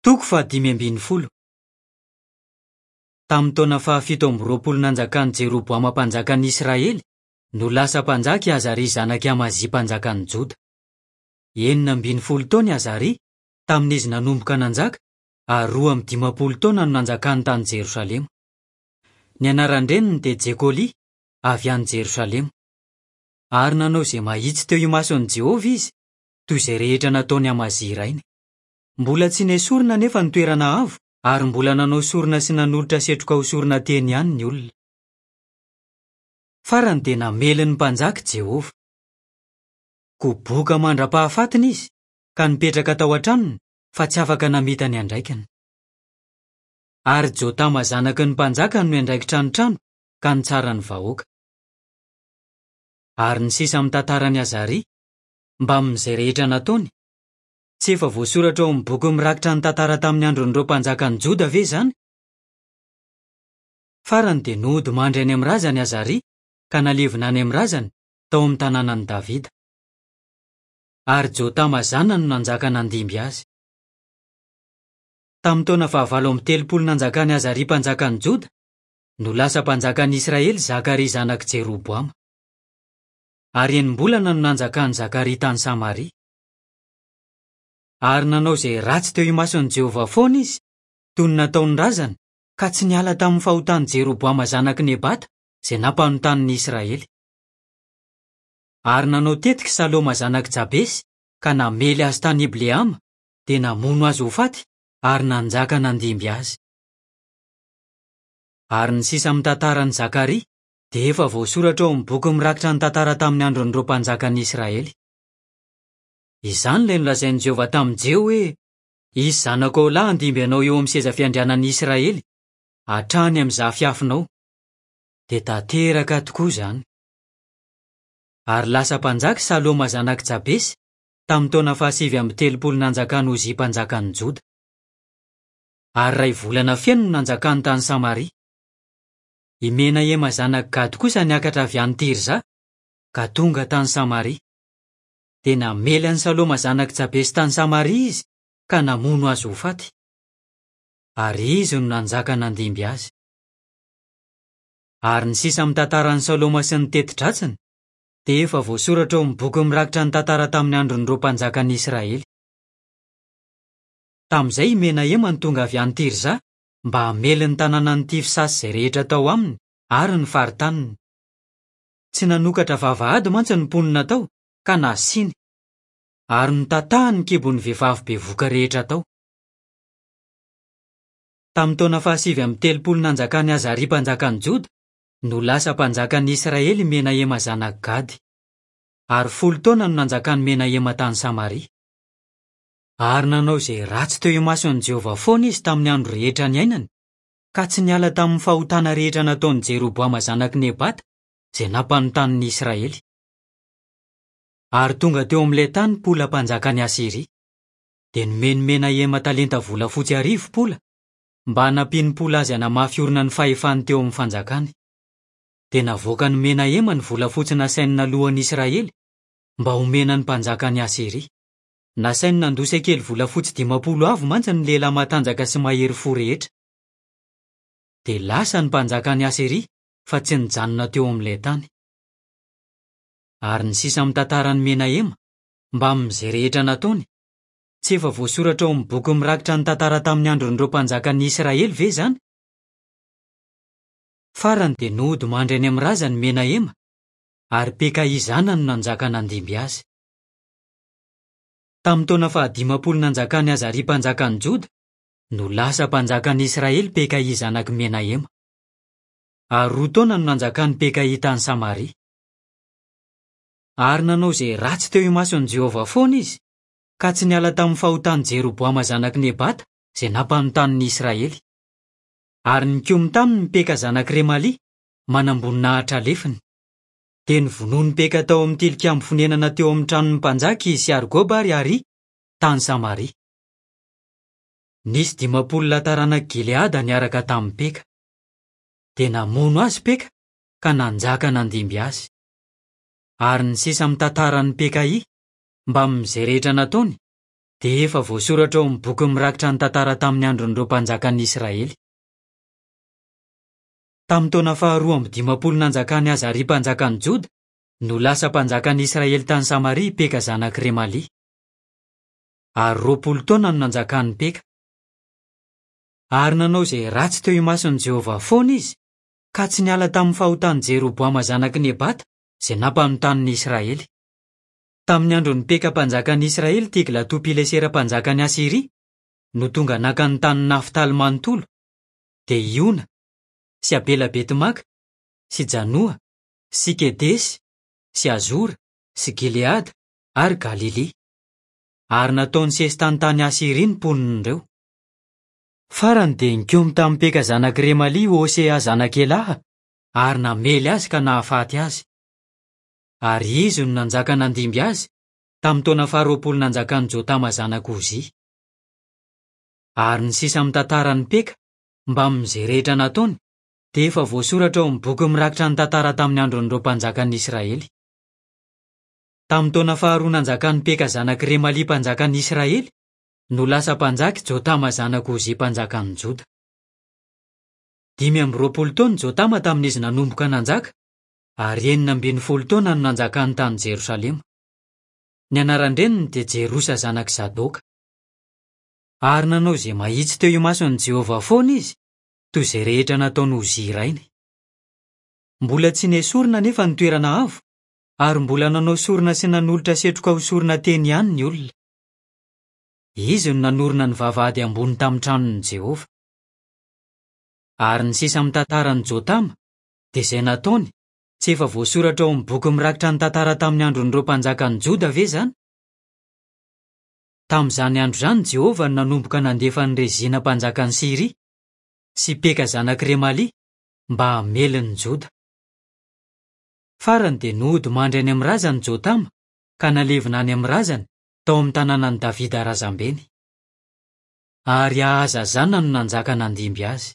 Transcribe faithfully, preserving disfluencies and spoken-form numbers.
Toko fahadimy ambin'ny folo. Tamin'ny taona fahafito amby roapolo nanjakan'i Jeroboama mpanjakan'ny Israely no lasa mpanjaka i Azaria zanak'i Amazia mpanjakan'ny Joda. Enina ambin'ny folo taona i Azaria tamin'izy nanomboka nanjaka ary roa amby dimampolo taona no nanjakany tany Jerosalema. Ny anaran-dreniny dia Jekolia avy any Jerosalema. Ary nanao izay mahitsy teo imason'i Jehovah izy, toy izay rehetra nataon'i Amazia rainy. Mbola tsy nesorina anefa ny toerana avo ary mbola nanao sorona sy nanolotra setroka ho sorona teny ihany ny olona. Farany dia namely ny mpanjaka Jehovah. Koboka mandra-pahafatiny izy ka nipetraka tao an-tranony fa tsy afaka namita ny andraikiny. Ary Jotama zanaky ny mpanjaka no niandraikitra ny trano ka nitsara ny vahoaka. Ary ny sisa amin'ny tantaran'i Azaria, mbamin'izay rehetra nataony, tsy efa voasoratra ao amin'ny boky mirakitra ny tantara tamin'ny andron'ireo mpanjakan'ny Joda ve izany? Farany dia nody mandry any amin'ny razany Azaria ka nalevina any amin'ny razany tao amin'ny tanànan'i Davida. Ary Jotama zanany no nanjaka nandimby azy. Tamin'ny taona fahavalo amby telopolo nanjakan'i Azaria mpanjakan'ny Joda no lasa mpanjakan'ny Israely Zakaria zanak'i Jeroboama. Ary enim-bolana no nanjakan'i Zakaria tany Samaria. Ary nanao izay ratsy teo imason'i Jehovah foana izy, toy ny nataon'ny razany, ka tsy niala tamin'ny fahotan'i Jeroboama zanak'i Nebata izay nampanontany Israely. Ary nanao tetika Saloma zanak'i Jabesy ka namely azy tany Ibleama, dia namono azy ho faty ary nanjaka nandimby azy. Ary ny sisa amin'ny tantaran'i Zakaria dia efa voasoratra ao amin'ny boky mirakitra ny tantara tamin'ny andron'ireo mpanjakan'ny Israely. Izany ilay nolazain'i Jehovah tamin'i Jeho hoe: "Hisy zanakao lahy handimby anao eo amin'ny seza fiandrianan'ny Israely, hatrany amin'ny zafiafinao." Dia tanteraka tokoa izany. Ary lasa mpanjaka Saloma zanak'i Jabesy tamin'ny taona fahasivy amby telopolo nanjakan'i Ozia mpanjakan'ny Joda. Ary iray volana feno no nanjakany tany Samaria. I Menahema zanak'i Gady kosa niakatra avy any Tirza ka tonga tany Samaria. Dia namely an'i Saloma zanak'i Jabesy tany Samaria izy ka namono azy ho faty. Ary izy no nanjaka nandimby azy. Ary ny sisa amin'ny tantaran'i Saloma sy ny teti-dratsiny dia efa voasoratra ao amin'ny boky mirakitra ny tantara tamin'ny andron'ireo mpanjakan'ny Israely. Tamin'izay i Menahema no tonga avy any Tirza mba hamely ny tanànan'i Tifsa sy izay rehetra tao aminy ary ny faritaniny. Tsy nanokatra vavahady mantsy ny mponina tao ka nasiany, ary notatahany ny kibon'ny vehivavy bevoka rehetra tao. Tamin'ny taona fahasivy amby telopolo nanjakan'i Azaria mpanjakan'ny Joda no lasa mpanjakan'ny Israely Menahema zanak'i Gady. Ary folo taona no nanjakan'i Menahema tany Samaria. Ary nanao izay ratsy teo imason'i Jehovah foana izy tamin'ny andro rehetra niainany, ka tsy niala tamin'ny fahotana rehetra nataon'i Jeroboama zanak'i Nebata izay nampanontany ny Israely. Ary tonga teo amin'ilay tany Pola mpanjakan'i Asyria. Dia nomeny Menahema talenta volafotsy arivo Pola mba hanampian'i Pola azy hanamafy orina ny fahefany teo amin'ny fanjakany. Dia navoakan'i Menahema ny volafotsy nasainy nalohan'i Israely mba homena ny mpanjakan'i Asyria. Nasainy nandoa sekely volafotsy dimampolo avo mantsy ny lehilahy matanjaka sy mahery fo rehetra. Dia lasa ny mpanjakan'i Asyria fa tsy nijanona teo amin'ilay tany. Ary ny sisa amin'ny tantaran'i Menahema, mbamin'izay rehetra nataony, tsy efa voasoratra ao amin'ny boky mirakitra ny tantara tamin'ny andron'ireo mpanjakan'ny Israely ve izany? Farany dia nody mandry any amin'ny razany Menahema, ary Pekaia zanany no nanjaka nandimby azy. Tamin'ny taona fahadimampolo nanjakan'i Azaria mpanjakan'ny Joda no lasa mpanjakan'ny Israely Pekaia zanak'i Menahema. Ary roa taona no nanjakan'i Pekaia tany Samaria. Ary nanao izay ratsy teo imason'i Jehovah foana izy, ka tsy niala tamin'ny fahotan'i Jeroboama zanak'i Nebata izay nampanontany ny Israely. Ary nikomy taminy Peka zanak'i Remalia, manamboninahitra lefiny. Dia novonoin'i Peka tao amin'ny tilikambo fonenana teo amin'ny tranon'ny mpanjaka izy sy Argoba ary Aria tany Samaria. Nisy dimampolo lahy taranak'i Gileada niaraka tamin'i Peka. Dia namono azy Peka ka nanjaka nandimby azy. Ary ny sisa amin'ny tantaran'i Pekaia, mbamin'izay rehetra nataony, dia efa voasoratra ao amin'ny boky mirakitra ny tantara tamin'ny andron'ireo mpanjakan'ny Israely. Tamin'ny taona faharoa amby dimampolo nanjakan'i Azaria mpanjakan'ny Joda no lasa mpanjakan'ny Israely tany Samaria i Peka zanak'i Remalia. Ary roapolo taona no nanjakan'i Peka. Ary nanao izay ratsy teo imason'i Jehovah foana izy, ka tsy niala tamin'ny fahotan'i Jeroboama zanak'i Nebata izay nampanotanin'ny Israely. Tamin'ny andron'i Peka mpanjakan'ny Israely Tiglato-Pilesera mpanjakan'i Asyria no tonga naka ny tanin'i Naftaly manontolo, dia Iona sy Abela-Betimaka sy Janoa sy Kedesy sy Azora sy Gileada ary Galilia. Ary nataony sesitany tany Asyria ny mponin'ireo. Farany dia nikomy tamin'i Peka zanak'i Remalia Hosea zanak'i Elaha ary namely azy ka nahafaty azy. Ary izy no nanjaka nandimby azy tamin'ny taona faharoapolo nanjakan'i Jotama zanak'i Ozia. Ary ny sisa amin'ny tantaran'i Peka mbamin'izay rehetra nataony dia efa voasoratra ao amin'ny boky mirakitra ny tantara tamin'ny andron'ireo mpanjakan'ny Israely. Tamin'ny taona faharoa nanjakan'i Peka zanak'i Remalia mpanjakan'ny Israely no lasa mpanjaka Jotama zanak'i Ozia mpanjakan'ny Joda. Dimy amby roapolo taona Jotama tamin'izy nanomboka nanjaka, ary enina ambin'ny folo taona no nanjakany tany Jerosalema. Ny anaran-dreniny dia Jerosa zanak'i Zadoka. Ary nanao izay mahitsy teo imason'i Jehovah foana izy, toy izay rehetra nataon'i Ozia rainy. Mbola tsy nesorina anefa ny toerana avo, ary mbola nanao sorona sy nanolotra setroka ho sorona teny ihany ny olona. Izy no nanorina ny vavahady ambony tamin'ny tranon'i Jehovah. Ary ny sisa amin'ny tantaran'i Jotama dia izay nataony, tsy efa voasoratra ao amin'ny boky mirakitra ny tantara tamin'ny andron'ireo mpanjakan'ny Joda ve izany? Tamin'izany andro izany Jehovah no nanomboka nandefa an'i Rezina mpanjakan'i Syria sy Peka zanak'i Remalia mba hamely ny Joda. Farany dia nody mandry any amin'ny razany Jotama ka nalevina any amin'ny razany tao amin'ny tanànan'i Davida razambeny. Ary Ahaza zanany no nanjaka nandimby azy.